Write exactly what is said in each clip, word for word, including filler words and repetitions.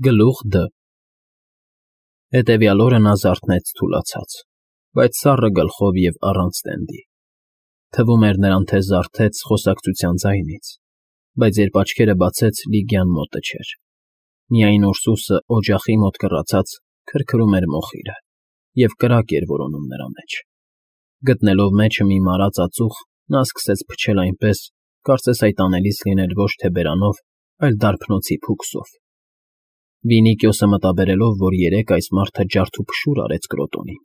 Գլուխ Դ Հետևյալ օրը նա զարթնեց թուլացած, բայց սառը գլխով և առանց տենդի. թվում էր նրան, թե զարթեց խոսակցության ձայնից, բայց երբ աչքերը բացեց, Լիգիան մոտը չէր, միայն Ուրսուսը, օջախի մոտ կռացած, քրքրում էր մոխիրը և կրակ էր որոնում նրա մեջ. գտնելով մեջը մի մարած ածուխ, նա սկսեց փչել այնպես, կարծես այդ անելիս լիներ ոչ թե բերանով, այլ դարբնոցի փուքսով. Վինիկիոսը մտաբերելով, որ երեկ այս մարդը ջարդուփշուր արեց Կրոտոնին.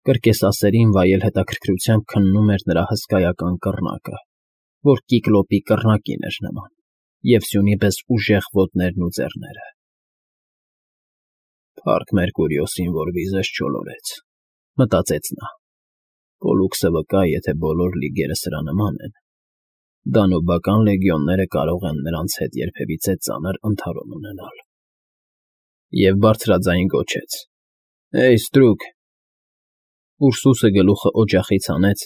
կրկեսասերին վայել հետաքրքրությամբ քննում էր նրա հսկայական կռնակը, որ կիկլոպի կռնակին էր նման, և սյունի պես ուժեղ ոտներն ու ձեռները։ «Փառք Մերկուրիոսին, որ վիզս չոլորեց», մտածեց նա. «Պոլլուքսը վկա, եթե բոլոր լիգերը սրա նման են, դանուբական լեգիոնները կարող են նրանց հետ երբևիցե ծանր ընդհարում ունենալ»։ Եվ բարձրաձայն գոչեց. «Հեյ, ստրուկ»։ Ուրսուսը գլուխը օջախից հանեց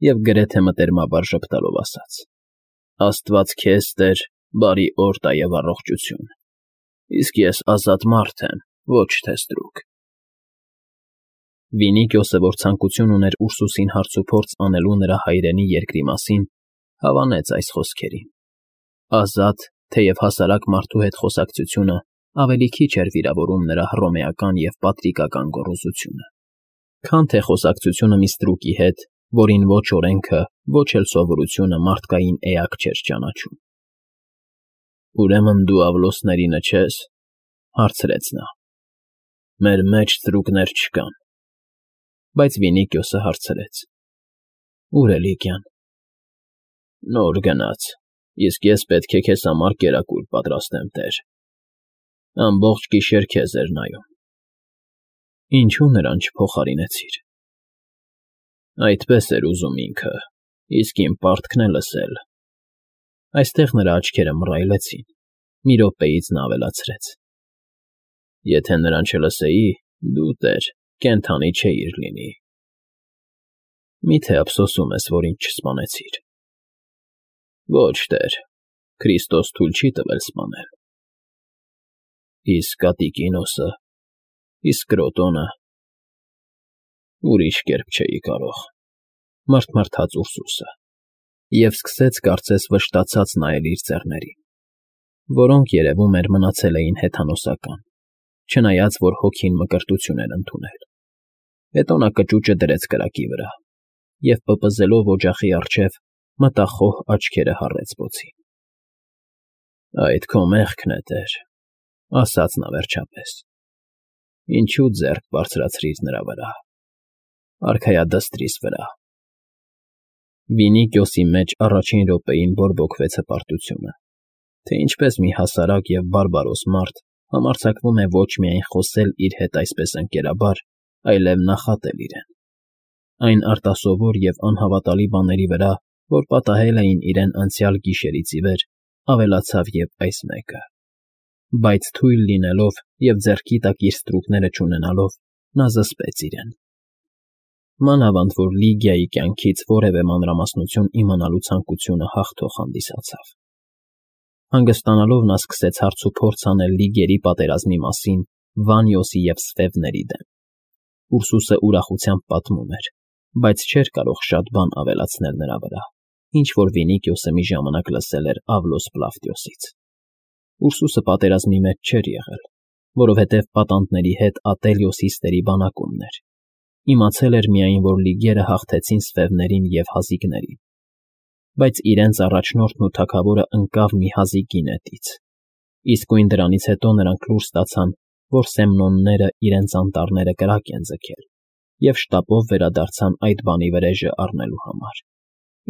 և գրեթե մտերմաբար ժպտալով ասաց. «Աստված քեզ, Տեր, բարի օր տա և առողջություն, իսկ ես ազատ մարդ եմ, ոչ թե ստրուկ»։ Վինիկիոսը, որ ցանկություն ուներ Ուրսուսին հարցուփորձ անելու նրա հայրենի երկրի մասին, հավանեց այս խոսքերին. ազատ, թեև հասարակ մարդու հետ խոսակցությունը ավելի քիչ էր վիրավորում նրա հռոմեական և պատրիկական գոռոզությունը, քան թե խոսակցությունը մի ստրուկի հետ, որին ոչ օրենքը, ոչ էլ սովորությունը մարդկային էակ չէր ճանաչում։ «Ուրեմն դու Ավլոսներինը չե՞ս», հարցրեց նա։ «Մեր մեջ ստրուկներ չկան»։ Բայց Վինիկիոսը հարցրեց. «Ո՞ւր է Լիգիան»։ «Նոր գնաց, իսկ ես պետք է քեզ համար կերակուր պատրաստեմ, Տեր»։ Ամբողջ գիշեր քեզ էր նայում։ «Ինչո՞ւ նրան չփոխարինեցիր»։ «Այդպես էր ուզում ինքը, իսկ իմ պարտքն է լսել»։ Այստեղ նրա աչքերը մռայլեցին, մի րոպեից նա ավելացրեց. «Եթե նրան չլսեի, դու, Տեր, կենդանի չէիր լինի»։ «Մի՞թե ափսոսում ես, որ ինձ չսպանեցիր»։ «Ոչ, Տեր, Քրիստոս թույլ չի տվել սպանել»։ «Իսկ Ատիկինոսը, իսկ Կրոտոնը»։ «Ուրիշ կերպ չէի կարող», մռթմռթաց Ուրսուսը և սկսեց կարծես վշտացած նայել իր ձեռներին, որոնք, երևում էր, մնացել էին հեթանոսական, չնայած որ հոգին մկրտություն էր ընդունել։ Հետո նա կճուճը դրեց կրակի վրա և, պպզելով օջախի առջև, մտախոհ աչքերը հառեց բոցին։ «Այդ քո մեղքն է, Տեր», ասաց նա վերջապես։ «Ինչու ձեռք բարձրացրիր նրա վրա, արքայադստրիս վրա»։ Վինիկիոսի մեջ առաջին րոպեին բորբոքվեց հպարտությունը, թե ինչպես մի հասարակ և բարբարոս մարդ համարձակվում է ոչ միայն խոսել իր հետ այսպես ընկերաբար, այլև նախատել իրեն, այն արտասովոր և անհավատալի բաների վրա, որ պատահել էին իրեն անցյալ գիշերից ի վեր, ավելացավ և այս մեկը։ Բայց թույլ լինելով և ձեռքի տակ իր ստրուկները չունենալով, նա զսպեց իրեն։ Մանավանդ որ Լիգիայի կյանքից որևէ մանրամասնություն իմանալու ցանկությունը հաղթող հանդիսացավ։ Հանգստանալով նա սկսեց հարցուփորձ անել լիգերի պատերազմի մասին Վանյոսի և Սվևների դեմ։ Ուրսուսը ուրախությամբ պատմում էր, բայց չէր կարող շատ բան ավելացնել նրա վրա, ինչ որ Վինիկիոսը մի ժամանակ լսել էր Ավլոս Պլավտիոսից։ Ուրսուսը պատերազմի մեջ չէր եղել, որովհետև պատանդների հետ Ատելիոս Հիստերի բանակումն էր, իմացել էր միայն, որ լիգերը հաղթեցին Սվևներին և հազիկներին, բայց իրենց առաջնորդն ու թագավորը ընկավ մի հազիկի նետից, իսկույն դրանից հետո նրանք լուր ստացան, որ Սեմնոնները իրենց անտառները կրակ են ձգել և շտապով վերադարձան այդ բանի վրեժը առնելու համար,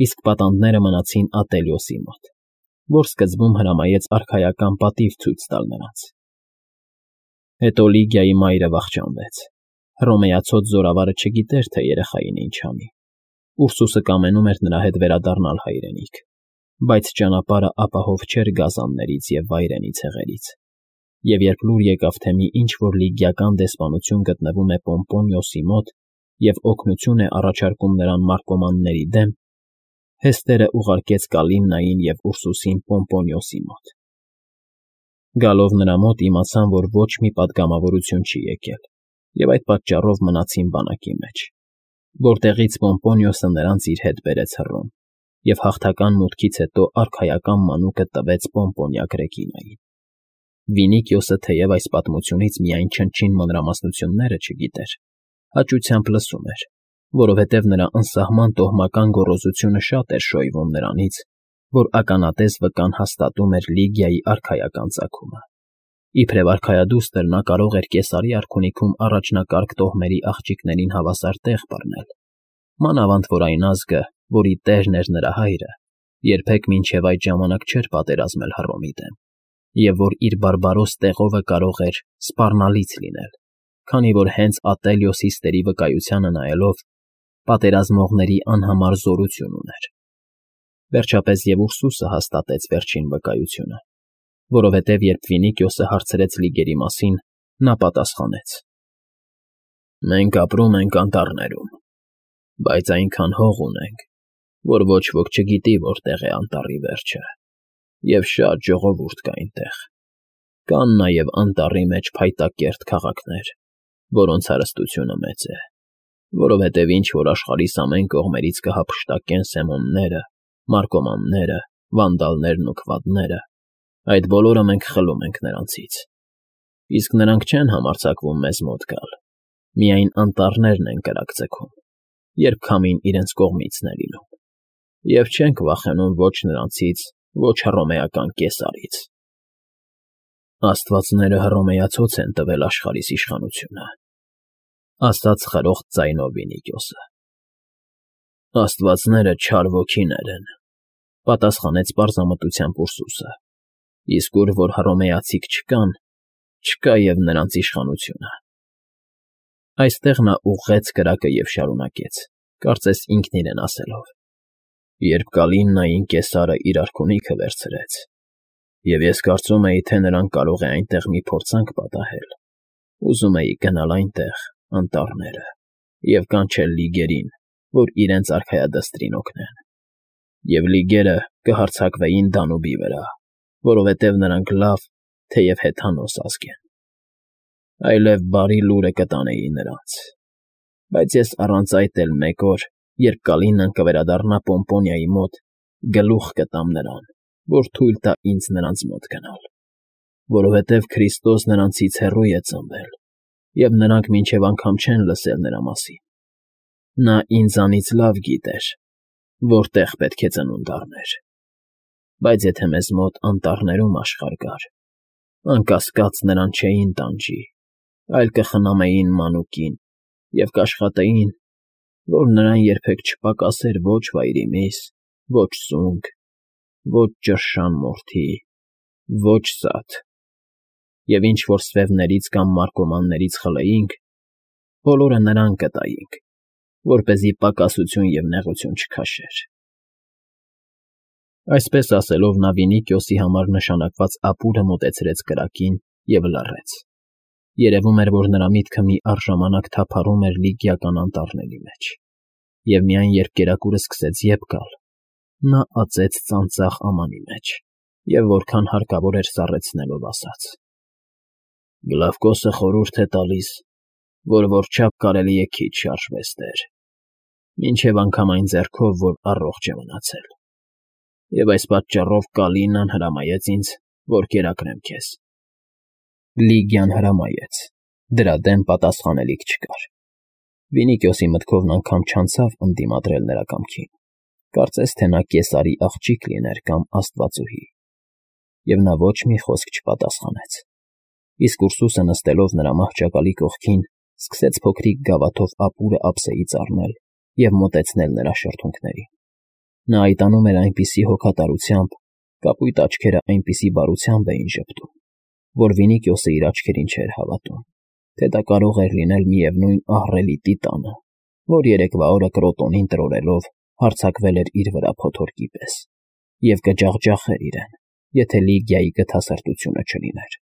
իսկ պատանդները մնացին Ատելիոսի մոտ, որ սկզբում հրամայեց արքայական պատիվ ցույց տալ նրանց։ Հետո Լիգիայի մայրը վախճանվեց։ Հռոմեացած զորավարը չգիտեր, թե երեխային ինչ անի։ Ուրսուսը կամենում էր նրա հետ վերադառնալ հայրենիք, բայց ճանապարհը ապահով չէր գազաններից և վայրենի ցեղերից, և երբ լուր եկավ, թե մի ինչ֊որ լիգիական դեսպանություն գտնվում է Պոմպոնիոսի մոտ և օգնություն է առաջարկում նրան մարկոմանների դեմ, Հեստերը ուղարկեց Կալիմնային և Ուրսուսին Պոմպոնիոսի մոտ։ Գալով նրա մոտ իմացան, որ ոչ մի պատգամավորություն չի եկել, և այդ պատճառով մնացին բանակի մեջ, որտեղից Պոմպոնիոսը նրանց իր հետ բերեց Հռոմ և հաղթական մուտքից հետո արքայական մանուկը տվեց Պոմպոնիա Գրեգինային։ Վինիկիոսը թեև այս պատմությունից միայն չնչին մանրամասնությունները չգիտեր, հաճությամբ լսում էր, որովհետև նրա անսահման տոհմական գոռոզությունը շատ էր շոյվում նրանից, որ ականատես վկան հաստատում էր Լիգիայի արքայական ծագումը։ Իբրև արքայադուստր նա կարող էր Կեսարի արքունիքում առաջնակարգ տոհմերի աղջիկներին հավասար տեղ բռնել, մանավանդ որ այն ազգը, որի տերն էր նրա հայրը, երբեք մինչև այդ ժամանակ չէր պատերազմել Հռոմի դեմ, և որ իր բարբարոս տեղովը կարող էր սպառնալից լինել, քանի որ հենց Ատելյոս հիստերի վկայությանը նայելով պատերազմողների անհամար զորություն ուներ։ Վերջապես և Ուրսուսը հաստատեց վերջին վկայությունը, որովհետև երբ Վինիկիոսը հարցրեց լիգերի մասին, նա պատասխանեց. «Մենք ապրում ենք անտառներում, բայց այնքան հող ունենք, որ ոչ ոք չգիտի որտեղ է անտառի վերջը, և շատ ժողովուրդ կա այնտեղ։ Կան նաև անտառի մեջ փայտակերտ քաղաքներ, որոնց հարստությունը մեծ է, որովհետև ինչ որ աշխարհիս ամեն կողմերից կհափշտակեն սեմոնները, մարկոմանները, վանդալներն ու քվադները, այդ բոլորը մենք խլում ենք նրանցից։ Իսկ նրանք չեն համարձակվում մեզ մոտ գալ, միայն անտառներն են կրակձգում, երբ քամին իրենց կողմիցն է լինում, և չենք վախենում ոչ նրանցից, ոչ հռոմեական կեսարից։ Աստվածները հռոմեացոց են տվել աշխարհիս իշխանությունը», ասաց խրոխտ ձայնով Վինիկիոսը։ «Աստվածները չար ոգիներ են», պատասխանեց պարզամտությամբ Ուրսուսը, «իսկ ուր որ հռոմեացիք չկան, չկա և նրանց իշխանությունը»։ Այստեղ նա ուղղեց կրակը և շարունակեց, կարծես ինքն իրեն ասելով. «Երբ Կալիննային կեսարը իր արքունիքը վերցրեց, և ես կարծում էի, թե նրան կարող է այնտեղ մի փորձանք պատահել, ուզում էի գնալ այնտեղ, անտառները, և կանչել լիգերին, որ իրենց արքայադստրին օգնեն, և լիգերը կհարձակվեին Դանուբի վրա, որովհետև նրանք լավ, թեև հեթանոս ազգ են, այլև բարի լուրը կտանեի նրանց։ Բայց ես առանց այդ էլ մեկ օր, երբ Կալիննան կվերադառնա Պոմպոնիայի մոտ, գլուխ կտամ նրան, որ թույլ տա ինձ նրանց մոտ գնալ, որովհետև Քրիստոս նրանցից հեռու է ծնվել, և նրանք մինչև անգամ չեն լսել նրա մասին։ Նա ինձանից լավ գիտեր, որտեղ պետք է ծնունդ առներ։ Բայց եթե մեզ մոտ անտառներում աշխարհ կար, անկասկած նրան չէին տանջի, այլ կխնամեին մանուկին և կաշխատեին, որ նրան երբեք չպակասեր ոչ վայրի միս, ոչ սունկ, ոչ ճռշան մորթի, ոչ սաթ, և ինչ որ սվևներից կամ մարկոմաններից խլեինք, բոլորը նրան կտայինք, որպեսզի պակասություն և նեղություն չքաշեր»։ Այսպես ասելով նա Վինիկիոսի համար նշանակված ապուրը մոտեցրեց կրակին և լռեց։ Երևում էր, որ նրա միտքը մի առժամանակ թափառում էր լիգիական անտառների մեջ, և միայն երբ կերակուրը սկսեց ետ գալ, նա ածեց ծանծաղ ամանի մեջ և որքան հարկավոր էր սառեցնելով ասաց. «Գլավկոսը խորհուրդ է տալիս, որ որչափ կարելի է քիչ շարժվես տեր, մինչև անգամ այն ձեռքով, որ առողջ է մնացել, և այս պատճառով Կալիննան հրամայեց ինձ, որ կերակրեմ քեզ»։ Լիգիան հրամայեց, դրա դեմ պատասխանելիք չկար։ Վինիկիոսի մտքով անգամ չանցավ ընդդիմադրել նրա կամքին, կարծես թե նա Կեսարի աղջիկ լիներ կամ աստվածուհի, և նա ոչ մի խոսք չպատասխանեց։ Իսկ Ուրսուսը նստելով նրա մահճակալի կողքին, սկսեց փոքրիկ գավաթով ապուրը ափսեից առնել և մոտեցնել նրա շրթունքներին։ Նա այդ անում էր այնպիսի հոգատարությամբ, կապույտ աչքերը այնպիսի բարությամբ էին ժպտում, որ Վինիկիոսը իր աչքերին չէր հավատում, թե դա կարող էր լինել միևնույն ահռելի տիտանը, որ երեկվա օրը Կրոտոնին տրորելով հարձակվել էր իր վրա փոթորկի պես և կջախջախեր իրեն, եթե Լիգիայի գթասրտությունը չլիներ։